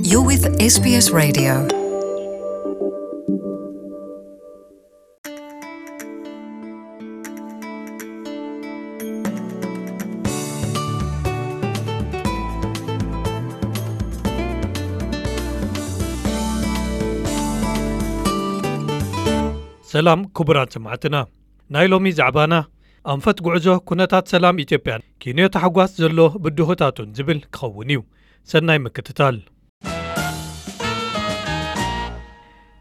You're with S B S Radio. ሰላም ክቡራት ሰማዕትና፣ ናይ ሎሚ ዛዕባና ኣንፈት ጉዕዞ ኩነታት ሰላም ኢትዮጵያን ኪንዮ ታሕጓስ ዘሎ ብድሆታቱን ዝብል ክኸውን እዩ። ሰናይ ምክትታል።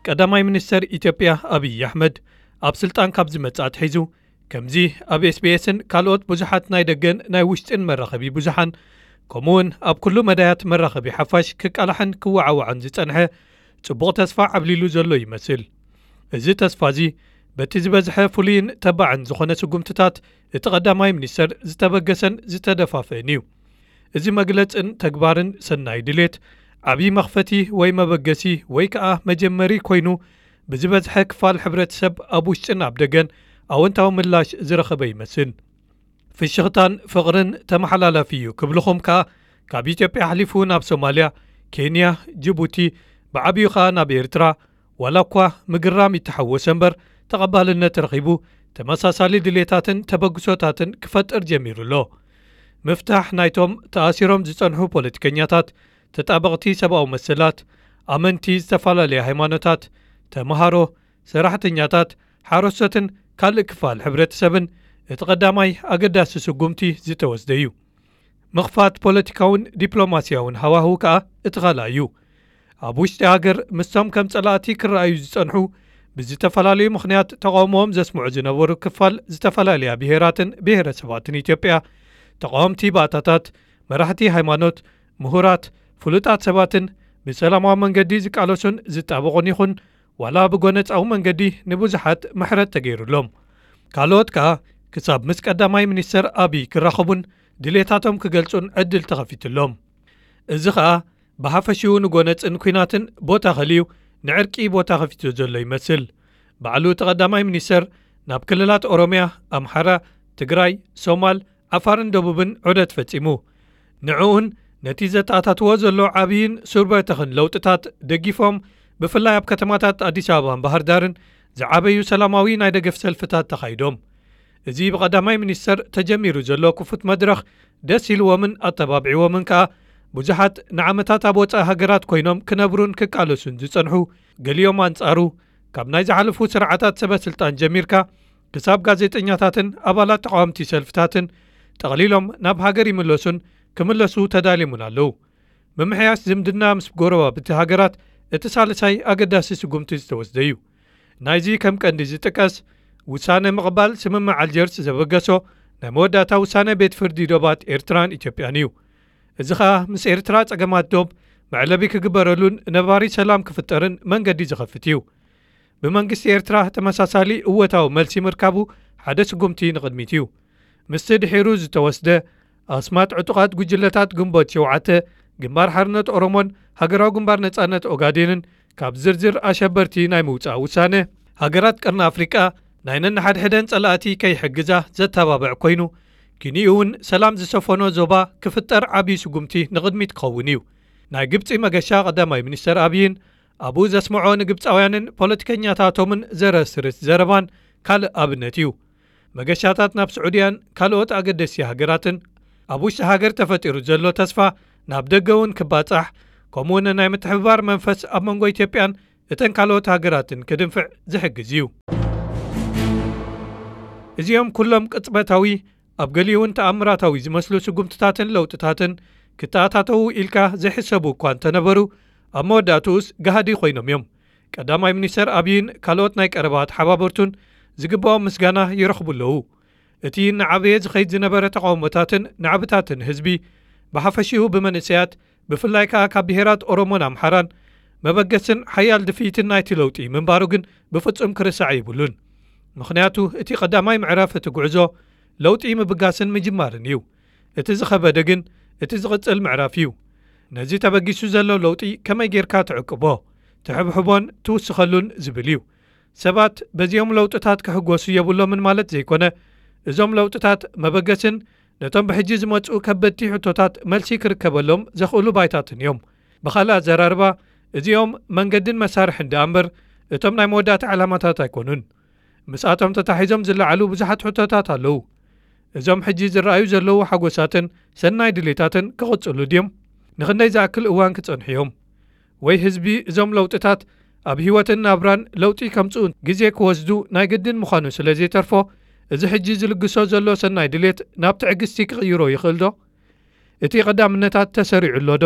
ቀዳማይ ሚኒስተር ኢትዮጵያ ኣብይ ኣሕመድ ኣብ ስልጣን ካብ ዝመጽእ ኣትሒዙ፣ ከምዚ ኣብ ኤስቢኤስን ካልኦት ብዙሓት ናይ ደገን ናይ ውሽጥን መራኸቢ ብዙሓን፣ ከምኡውን ኣብ ኩሉ መዳያት መራኸቢ ሓፋሽ ክቃላሕን ክወዓዋዕን ዝጸንሐ፣ ጽቡቕ ተስፋ ዓብሊሉ ዘሎ ይመስል። እዚ ተስፋ እዚ በቲ ዝበዝሐ ፍሉይን ተባዕን ዝኾነ ስጉምትታት እቲ ቀዳማይ ሚኒስተር ዝተበገሰን ዝተደፋፍእን እዩ። እዚ መግለጽን ተግባርን ሰናይ ድሌት፣ ዓብዪ መኽፈቲ ወይ መበገሲ ወይ ከኣ መጀመሪ ኮይኑ፣ ብዝበዝሐ ክፋል ሕብረተሰብ ኣብ ውሽጥን ኣብ ደገን ኣወንታዊ ምላሽ ዝረኸበ ይመስል። ፍሽኽታን ፍቕርን ተመሓላላፊ እዩ ክብልኹም ከኣ፣ ካብ ኢትዮጵያ ኣሕሊፉ ናብ ሶማልያ፣ ኬንያ፣ ጅቡቲ፣ ብዓብዩ ከኣ ናብ ኤርትራ፣ ዋላ እኳ ምግራም ይተሓወሰ እምበር፣ ተቐባልነት ረኺቡ፣ ተመሳሳሊ ድሌታትን ተበግሶታትን ክፈጥር ጀሚሩ ኣሎ። ምፍታሕ ናይቶም ተኣሲሮም ዝጸንሑ ፖለቲከኛታት፣ ተጣበቕቲ ሰብኣዊ መሰላት፣ ኣመንቲ ዝተፈላለያ ሃይማኖታት፣ ተምሃሮ፣ ሰራሕተኛታት፣ ሓረስቶትን ካልእ ክፋል ሕብረተሰብን እቲ ቀዳማይ ኣገዳሲ ስጉምቲ ዝተወስደ እዩ። ምኽፋት ፖለቲካውን ዲፕሎማስያውን ሃዋህው ከኣ እቲ ካልኣይ እዩ። ኣብ ውሽጢ ሃገር ምስቶም ከም ጸላእቲ ክረኣዩ ዝጸንሑ፣ ብዝተፈላለዩ ምኽንያት ተቓውሞኦም ዘስምዑ ዝነበሩ ክፋል ዝተፈላለያ ብሄራትን ብሄረሰባትን ኢትዮጵያ፣ ተቓወምቲ ባእታታት፣ መራሕቲ ሃይማኖት፣ ምሁራት፣ ፍሉጣት ሰባትን ብሰላማዊ መንገዲ ዝቃለሱን ዝጣበቑን ይኹን ዋላ ብጎነጻዊ መንገዲ ንብዙሓት ምሕረት ተገይሩሎም። ካልኦት ከኣ ክሳብ ምስ ቀዳማይ ሚኒስተር ኣብይ ክራኸቡን ድሌታቶም ክገልጹን ዕድል ተኸፊትሎም። እዚ ኸኣ ብሓፈሽኡ ንጎነጽን ኲናትን ቦታ ከልዩ ንዕርቂ ቦታ ከፊቱ ዘሎ ይመስል። ባዕሉ እቲ ቀዳማይ ሚኒስተር ናብ ክልላት ኦሮምያ፣ ኣምሓራ፣ ትግራይ፣ ሶማል፣ ዓፋርን ደቡብን ዑደት ፈጺሙ። ንዕኡን ነቲ ዘተኣታትዎ ዘሎ ዓብይን ሱር በተኽን ለውጥታት ደጊፎም፣ ብፍላይ ኣብ ከተማታት ኣዲስ ኣበባን ባህር ዳርን ዝዓበዩ ሰላማዊ ናይ ደገፍ ሰልፍታት ተኻይዶም። እዚ ብቐዳማይ ሚኒስተር ተጀሚሩ ዘሎ ክፉት መድረኽ ደስ ኢልዎምን ኣተባቢዕዎምን ከኣ፣ ብዙሓት ንዓመታት ኣብ ወጻኢ ሃገራት ኮይኖም ክነብሩን ክቃለሱን ዝጸንሑ፣ ገሊኦም ኣንጻሩ፣ ካብ ናይ ዝሓለፉ ስርዓታት ሰበ ስልጣን ጀሚርካ ክሳብ ጋዜጠኛታትን ኣባላት ተቓወምቲ ሰልፍታትን ጠቕሊሎም ናብ ሃገር ይምለሱን ክምለሱ ተዳልዮምን ኣለዉ። ምምሕያሽ ዝምድና ምስ ጎረባብቲ ሃገራት እቲ ሳልሳይ ኣገዳሲ ስጉምቲ ዝተወስደ እዩ። ናይዚ ከም ቀንዲ ዝጥቀስ፣ ውሳነ ምቕባል ስምምዕ ኣልጀርስ ዘበገሶ ናይ መወዳእታ ውሳነ ቤት ፍርዲ ዶባት ኤርትራን ኢትዮጵያን እዩ። እዚ ኸኣ ምስ ኤርትራ ጸገማት ዶብ መዕለቢ ክግበረሉን ነባሪ ሰላም ክፍጠርን መንገዲ ዝኸፍት እዩ። ብመንግስቲ ኤርትራ ተመሳሳሊ እወታዊ መልሲ ምርካቡ ሓደ ስጉምቲ ንቕድሚት እዩ። ምስቲ ድሒሩ ዝተወስደ ኣስማት ዕጡቓት ጉጅለታት ግንቦት ሸውዓተ፣ ግንባር ሓርነት ኦሮሞን ሃገራዊ ግንባር ነጻነት ኦጋዴንን ካብ ዝርዝር ኣሸበርቲ ናይ ምውጻእ ውሳነ፣ ሃገራት ቀርኒ ኣፍሪቃ ናይ ነንሓድሕደን ጸላእቲ ከይሕግዛ ዘተባብዕ ኮይኑ፣ ኪንኡ እውን ሰላም ዝሰፈኖ ዞባ ክፍጠር ዓብዪ ስጉምቲ ንቕድሚት ክኸውን እዩ። ናይ ግብጺ መገሻ ቀዳማይ ሚኒስተር ኣብይን ኣብኡ ዘስምዖ ንግብጻውያንን ፖለቲከኛታቶምን ዘረስርስ ዘረባን ካልእ ኣብነት እዩ። መገሻታት ናብ ስዑድያን ካልኦት ኣገደስቲ ሃገራትን፣ ኣብ ውሽጢ ሃገር ተፈጢሩ ዘሎ ተስፋ ናብ ደገ እውን ክባጻሕ፣ ከምኡውን ናይ ምትሕብባር መንፈስ ኣብ መንጎ ኢትዮጵያን እተን ካልኦት ሃገራትን ክድንፍዕ ዝሕግዝ እዩ። እዚኦም ኩሎም ቅጽበታዊ፣ ኣብ ገሊኡ እውን ተኣምራታዊ ዝመስሉ ስጉምትታትን ለውጥታትን ክተኣታተዉ ኢልካ ዘይሕሰቡ እኳ እንተነበሩ፣ ኣብ መወዳእትኡስ ጋህዲ ኮይኖም እዮም። ቀዳማይ ሚኒስተር ኣብይን ካልኦት ናይ ቀረባ ተሓባበርቱን ዝግብኦም ምስጋና ይረኽቡ ኣለዉ። እቲ እናዓበየ ዝኸይድ ዝነበረ ተቓውሞታትን ናዕብታትን ህዝቢ፣ ብሓፈሽኡ ብመንእሰያት፣ ብፍላይ ከኣ ካብ ብሄራት ኦሮሞን ኣምሓራን፣ መበገስን ሓያል ድፍኢትን ናይቲ ለውጢ ምንባሩ ግን ብፍጹም ክርሳዕ የብሉን። ምኽንያቱ እቲ ቀዳማይ ምዕራፍ እቲ ጉዕዞ ለውጢ ምብጋስን ምጅማርን እዩ። እቲ ዝኸበደ ግን እቲ ዝቕጽል ምዕራፍ እዩ። ነዚ ተበጊሱ ዘሎ ለውጢ ከመይ ጌርካ ትዕቅቦ፣ ትሕብሕቦን ትውስኸሉን ዝብል እዩ። ሰባት በዚኦም ለውጥታት ክሕጎሱ የብሎምን ማለት ዘይኮነ፣ እዞም ለውጥታት መበገስን ነቶም ብሕጂ ዝመጽኡ ከበድቲ ሕቶታት መልሲ ክርከበሎም ዘኽእሉ ባይታትን እዮም። ብኻልእ ኣዘራርባ፣ እዚኦም መንገድን መሳርሕን ደኣ እምበር፣ እቶም ናይ መወዳእታ ዕላማታት ኣይኮኑን። ምስኣቶም ተታሒዞም ዝለዓሉ ብዙሓት ሕቶታት ኣለዉ። እዞም ሕጂ ዝረኣዩ ዘለዉ ሓጎሳትን ሰናይ ድሌታትን ክቕጽሉ ድዮም? ንኽንደይ ዝኣክል እዋን ክጸንሑ እዮም? ወይ ህዝቢ እዞም ለውጥታት ኣብ ህይወትን ናብራን ለውጢ ከምጽኡ ግዜ ክወስዱ ናይ ግድን ምዃኑ ስለ ዘይተርፎ፣ እዚ ሕጂ ዝልግሶ ዘሎ ሰናይ ድሌት ናብ ትዕግስቲ ክቕይሮ ይኽእል ዶ? እቲ ቀዳምነታት ተሰሪዑ ኣሎ ዶ?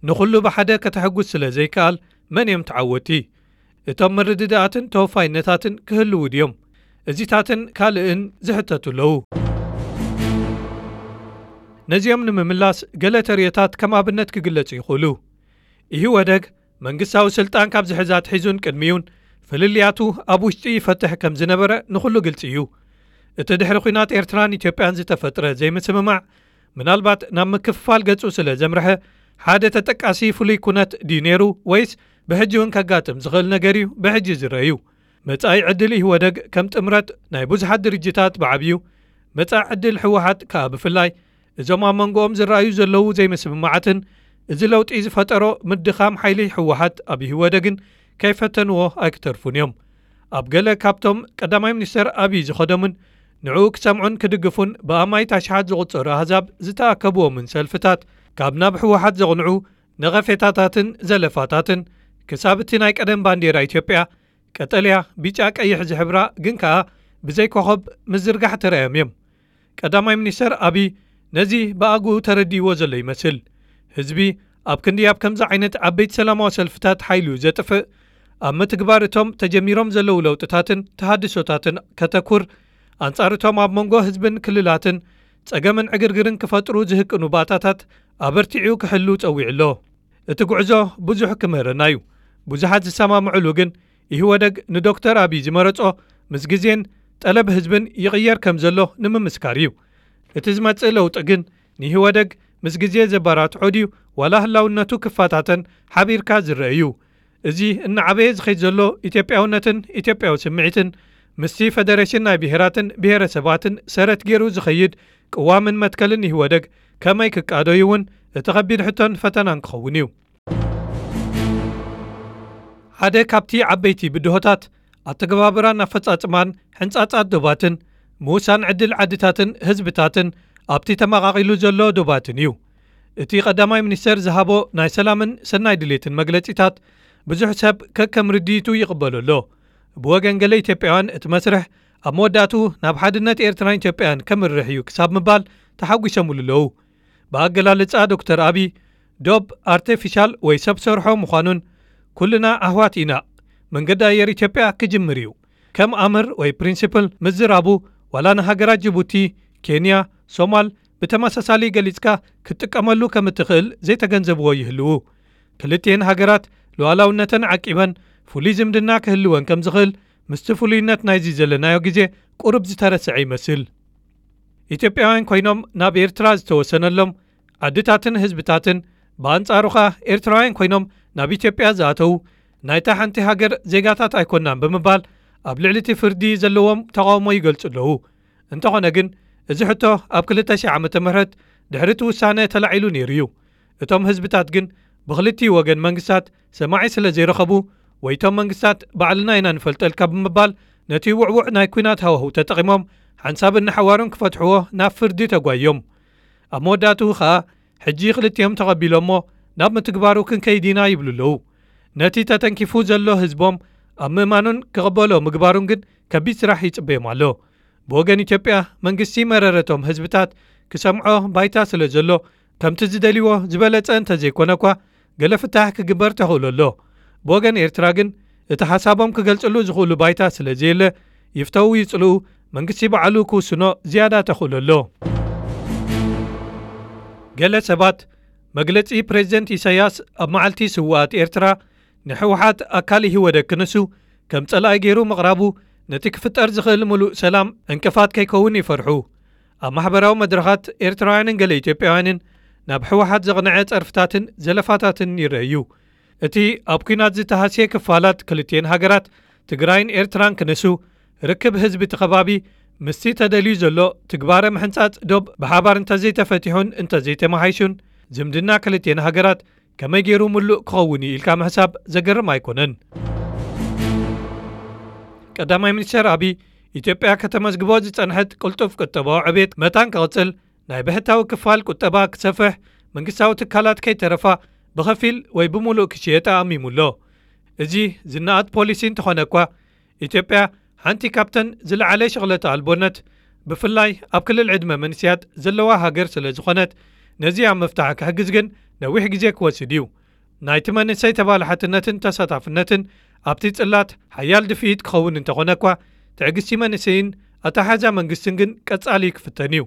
ንኹሉ ብሓደ ከተሐጉስ ስለ ዘይከኣል፣ መን እዮም ተዓወቲ? እቶም ምርድዳኣትን ተወፋይነታትን ክህልዉ ድዮም? እዚታትን ካልእን ዝሕተቱ ኣለዉ። ነዚኦም ንምምላስ ገለ ተርእዮታት ከም ኣብነት ክግለጹ ይኽእሉ። ኢህወደግ መንግስታዊ ስልጣን ካብ ዝሕዝ ኣትሒዙን ቅድሚኡን ፍልልያቱ ኣብ ውሽጢ ይፈትሕ ከም ዝነበረ ንኹሉ ግልጺ እዩ። እቲ ድሕሪ ኲናት ኤርትራን ኢትዮጵያን ዝተፈጥረ ዘይምስምማዕ ምናልባት ናብ ምክፍፋል ገጹ ስለ ዘምርሐ፣ ሓደ ተጠቃሲ ፍሉይ ኩነት ድዩ ነይሩ ወይስ ብሕጂ እውን ከጋጥም ዝኽእል ነገር እዩ ብሕጂ ዝረአ እዩ። መጻኢ ዕድል ኢህወደግ ከም ጥምረት ናይ ብዙሓት ድርጅታት ብዓብዩ፣ መጻኢ ዕድል ህወሓት ከኣ ብፍላይ፣ እዞም ኣብ መንጎኦም ዝረኣዩ ዘለዉ ዘይምስምማዓትን እዚ ለውጢ ዝፈጠሮ ምድኻም ሓይሊ ህወሓት ኣብ ኢህወደግን ከይፈተንዎ ኣይክተርፉን እዮም። ኣብ ገለ ካብቶም ቀዳማይ ሚኒስተር ኣብይ ዝኸዶምን ንዕኡ ክሰምዑን ክድግፉን ብኣማኢት ኣሽሓት ዝቑጸሩ ኣህዛብ ዝተኣከብዎምን ሰልፍታት፣ ካብ ናብ ህወሓት ዘቕንዑ ነቐፌታታትን ዘለፋታትን፣ ክሳብ እቲ ናይ ቀደም ባንዴራ ኢትዮጵያ፣ ቀጠልያ፣ ቢጫ፣ ቀይሕ ዝሕብራ ግን ከኣ ብዘይ ኮኸብ ምዝርጋሕ ተራእዮም እዮም። ቀዳማይ ሚኒስተር ኣብይ ነዚ ብኣግኡ ተረዲእዎ ዘሎ ይመስል። ህዝቢ ኣብ ክንዲ ኣብ ከምዚ ዓይነት ዓበይቲ ሰላማዊ ሰልፍታት ሓይሉ ዘጥፍእ፣ ኣብ ምትግባር እቶም ተጀሚሮም ዘለዉ ለውጥታትን ተሃድሶታትን ከተኩር፣ ኣንጻር እቶም ኣብ መንጎ ህዝብን ክልላትን ጸገምን ዕግርግርን ክፈጥሩ ዝህቅኑ ባእታታት ኣበርቲዑ ክሕሉ ጸዊዑ ኣሎ። እቲ ጉዕዞ ብዙሕ ክምህረና እዩ። ብዙሓት ዝሰማምዑሉ ግን፣ ኢህወደግ ንዶክተር ኣብይ ዝመረጾ ምስ ግዜን ጠለብ ህዝብን ይቕየር ከም ዘሎ ንምምስካር እዩ። እቲ ዝመጽእ ለውጢ ግን ንኢህወደግ ምስ ግዜ ዘበራትዖ ድዩ ዋላ ህላውነቱ ክፈታተን ሓቢርካ ዝረአ እዩ። እዚ እናዓበየ ዝኸይድ ዘሎ ኢትዮጵያውነትን ኢትዮጵያዊ ስምዒትን ምስቲ ፈደሬሽን ናይ ብሄራትን ብሄረሰባትን ሰረት ገይሩ ዝኸይድ ቅዋምን መትከልን ኢህወደግ ከመይ ክቃዶ እዩ እውን እቲ ከቢድ ሕቶን ፈተናን ክኸውን እዩ። ሓደ ካብቲ ዓበይቲ ብድሆታት ኣተገባብራን ኣፈጻጽማን ሕንጻጻት ዶባትን ምውሳን ዕድል ዓድታትን ህዝብታትን ኣብቲ ተመቓቒሉ ዘሎ ዶባትን እዩ። እቲ ቀዳማይ ሚኒስተር ዝሃቦ ናይ ሰላምን ሰናይ ድሌትን መግለጺታት ብዙሕ ሰብ ከከም ርድኢቱ ይቕበሎ ኣሎ። ብወገን ገለ ኢትዮጵያውያን እቲ መስርሕ ኣብ መወዳእቱ ናብ ሓድነት ኤርትራን ኢትዮጵያን ከምርሕ እዩ ክሳብ ምባል ተሓጒሶምሉ ኣለዉ። ብኣገላልጻ ዶክተር ኣብይ፣ ዶብ ኣርቴፊሻል ወይ ሰብ ሰርሖ ምዃኑን፣ ኩልና ኣህዋት ኢና፣ መንገዲ ኣየር ኢትዮጵያ ክጅምር እዩ፣ ከም ኣምር ወይ ፕሪንሲፕል ምዝራቡ፣ ዋላ ንሃገራት ጅቡቲ፣ ኬንያ፣ ሶማል ብተመሳሳሊ ገሊጽካ ክትጥቀመሉ ከም እትኽእል ዘይተገንዘብዎ ይህልዉ። ክልቲኤን ሃገራት ሉዓላውነተን ዓቂበን ፍሉይ ዝምድና ክህልወን ከም ዝኽእል ምስቲ ፍሉይነት ናይዚ ዘለናዮ ግዜ ቁሩብ ዝተረስዐ ይመስል። ኢትዮጵያውያን ኮይኖም ናብ ኤርትራ ዝተወሰነሎም ዓድታትን ህዝብታትን፣ ብኣንጻሩ ኸኣ ኤርትራውያን ኮይኖም ናብ ኢትዮጵያ ዝኣተዉ ናይታ ሓንቲ ሃገር ዜጋታት ኣይኮናን ብምባል ኣብ ልዕሊ እቲ ፍርዲ ዘለዎም ተቓውሞ ይገልጹ ኣለዉ። እንተኾነ ግን፣ እዚ ሕቶ ኣብ ክልተ ሺሕ ዓመተ ምህረት ድሕሪ እቲ ውሳነ ተላዒሉ ነይሩ እዩ። እቶም ህዝብታት ግን ብኽልቲኡ ወገን መንግስታት ሰማዒ ስለ ዘይረኸቡ፣ ወይ እቶም መንግስታት ባዕልና ኢና ንፈልጠልካ ብምባል ነቲ ውዕዉዕ ናይ ኲናት ሃዋህው ተጠቒሞም ሓንሳብን ንሓዋሩን ክፈትሕዎ ናብ ፍርዲ ተጓዮም። ኣብ መወዳእትኡ ኸኣ ሕጂ ክልቲኦም ተቐቢሎሞ ናብ ምትግባሩ ክንከይድ ኢና ይብሉ ኣለዉ። ነቲ ተተንኪፉ ዘሎ ህዝቦም ኣብ ምእማኑን ክቕበሎ ምግባሩን ግን ከቢድ ስራሕ ይጽበዮም ኣሎ። ብወገን ኢትዮጵያ መንግስቲ መረረቶም ህዝብታት ክሰምዖ ባይታ ስለ ዘሎ ከምቲ ዝደልይዎ ዝበለጸ እንተዘይኮነ እኳ ገለ ፍታሕ ክግበር ተኽእሎ ኣሎ። ብወገን ኤርትራ ግን እቲ ሓሳቦም ክገልጽሉ ዝኽእሉ ባይታ ስለ ዘየለ ይፍተዉ ይጽልኡ መንግስቲ ባዕሉ ክውስኖ ዝያዳ ተኽእሎ ኣሎ። ገለ ሰባት መግለጺ ፕሬዝደንት ኢሳያስ ኣብ መዓልቲ ስውኣት ኤርትራ ንህወሓት ኣካል ኢህወደግ ክንሱ ከም ጸላኢ ገይሩ ምቕራቡ ነቲ ክፍጠር ዝኽእል ምሉእ ሰላም ዕንቅፋት ከይከውን ይፈርሑ። ኣብ ማሕበራዊ መድረኻት ኤርትራውያንን ገለ ኢትዮጵያውያንን ናብ ህወሓት ዘቕንዐ ጸርፍታትን ዘለፋታትን ይረኣዩ። እቲ ኣብ ኲናት ዝተሃስየ ክፋላት ክልቲኤን ሃገራት ትግራይን ኤርትራን ክንሱ ርክብ ህዝቢ እቲ ከባቢ ምስቲ ተደልዩ ዘሎ ትግባረ ምሕንጻጽ ዶብ ብሓባር እንተዘይተፈቲሑን እንተዘይተመሓይሹን ዝምድና ክልቲኤን ሃገራት ከመይ ገይሩ ምሉእ ክኸውን እዩ ኢልካ ምሕሳብ ዘገርም ኣይኮነን። ቀዳማይ ሚኒስትር ኣቢይ፣ ኢትዮጵያ ከተመዝግቦ ዝጸንሐት ቅልጡፍ ቁጠባዊ ዕቤት መታን ክቕጽል፣ ናይ ብሕታዊ ክፋል ቁጠባ ክሰፍሕ፣ መንግስታዊ ትካላት ከይተረፋ ብኸፊል ወይ ብምሉእ ክሽየጣ ኣሚሙ ኣሎ። እዚ ዝነኣድ ፖሊሲ እንተኾነ እኳ፣ ኢትዮጵያ ሓንቲ ካብተን ዝለዓለ ሽቕለተ ኣልቦነት፣ ብፍላይ ኣብ ክልል ዕድመ መንስያት ዘለዋ ሃገር ስለ ዝኾነት፣ ነዚ ኣብ ምፍታሕ ክሕግዝ ግን ነዊሕ ግዜ ክወስድ እዩ። ናይቲ መንእሰይ ተባላሓትነትን ተሳታፍነትን ኣብቲ ጽላት ሓያል ድፍኢት ክኸውን እንተኾነ እኳ፣ ትዕግስቲ መንእሰይን ኣተሓዛ መንግስትን ግን ቀጻሊ ክፍተን እዩ።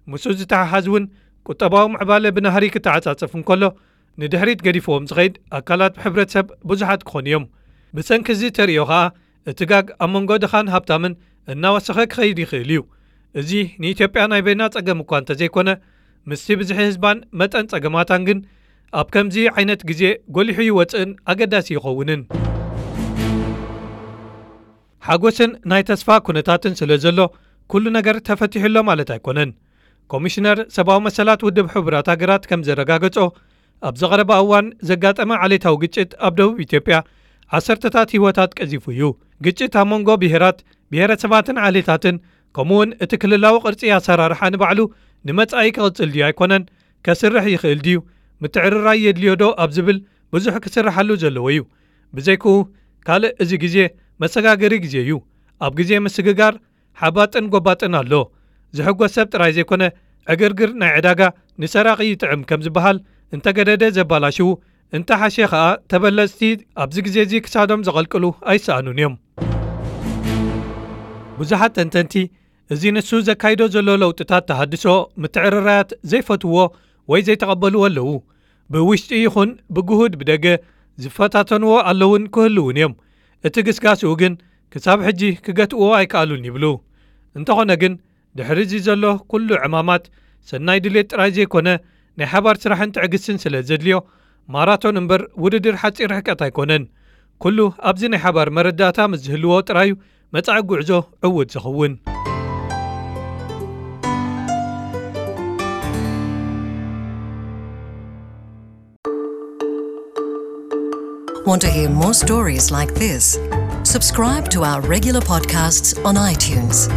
ምስኡ ዝተሓሓዝ እውን፣ ቁጠባዊ ምዕባለ ብናህሪ ክተዓጻጸፍ እንከሎ፣ ንድሕሪት ገዲፍዎም ዝኸይድ ኣካላት ሕብረተሰብ ብዙሓት ክኾኑ እዮም። ብሰንኪ እዚ ተርእዮ ኸኣ፣ እቲ ጋግ ኣብ መንጎ ድኻን ሃብታምን እናወሰኸ ክኸይድ ይኽእል እዩ። እዚ ንኢትዮጵያ ናይ በይና ጸገም እኳ እንተዘይኮነ፣ ምስቲ ብዝሒ ህዝባን መጠን ጸገማታን ግን፣ ኣብ ከምዚ ዓይነት ግዜ ጎሊሑ ይወጽእን ኣገዳሲ ይኸውንን። ሓጎስን ናይ ተስፋ ኩነታትን ስለ ዘሎ፣ ኩሉ ነገር ተፈቲሑ ኣሎ ማለት ኣይኮነን። ኮሚሽነር ሰብኣዊ መሰላት ውድብ ሕቡራት ሃገራት ከም ዘረጋገጾ፣ ኣብ ዝቐረበ እዋን ዘጋጠመ ዓሌታዊ ግጭት ኣብ ደቡብ ኢትዮጵያ ዓሰርተታት ህይወታት ቀዚፉ እዩ። ግጭት ኣብ መንጎ ብሄራት፣ ብሄረሰባትን ዓሌታትን፣ ከምኡውን እቲ ክልላዊ ቅርጺ ኣሰራርሓ ንባዕሉ ንመጻኢ ክቕጽል ድዩ ኣይኮነን፣ ከስርሕ ይኽእል ድዩ፣ ምትዕርራይ የድልዮ ዶ ኣብ ዝብል ብዙሕ ክስርሓሉ ዘለዎ እዩ። ብዘይክኡ፣ ካልእ እዚ ግዜ መሰጋገሪ ግዜ እዩ። ኣብ ግዜ ምስግጋር ሓባጥን ጎባጥን ኣሎ። ዝሕጎስ ሰብ ጥራይ ዘይኮነ፣ ዕግርግር ናይ ዕዳጋ ንሰራቒ ይጥዕም ከም ዝበሃል፣ እንተገደደ ዘባላሽዉ፣ እንተሓሸ ኸኣ ተበለጽቲ ኣብዚ ግዜ እዚ ክሳዶም ዘቐልቅሉ ኣይሰኣኑን እዮም። ብዙሓት ተንተንቲ፣ እዚ ንሱ ዘካይዶ ዘሎ ለውጥታት ተሃድሶ፣ ምትዕርራያት ዘይፈትውዎ ወይ ዘይተቐበልዎ ኣለዉ። ብውሽጢ ይኹን ብግሁድ ብደገ ዝፈታተንዎ ኣለውን ክህልውን እዮም። እቲ ግስጋስኡ ግን ክሳብ ሕጂ ክገትእዎ ኣይከኣሉን ይብሉ። እንተኾነ ግን፣ ድሕሪ እዚ ዘሎ ኩሉ ዕማማት፣ ሰናይ ድሌት ጥራይ ዘይኮነ፣ ናይ ሓባር ስራሕን ትዕግስትን ስለ ዘድልዮ፣ ማራቶን እምበር ውድድር ሓጺር ርሕቀት ኣይኮነን። ኩሉ ኣብዚ ናይ ሓባር መረዳእታ ምስ ዝህልዎ ጥራዩ መጻኢ ጉዕዞ ዕዉት ዝኸውን። Want to hear more stories like this? Subscribe to our regular podcasts on iTunes.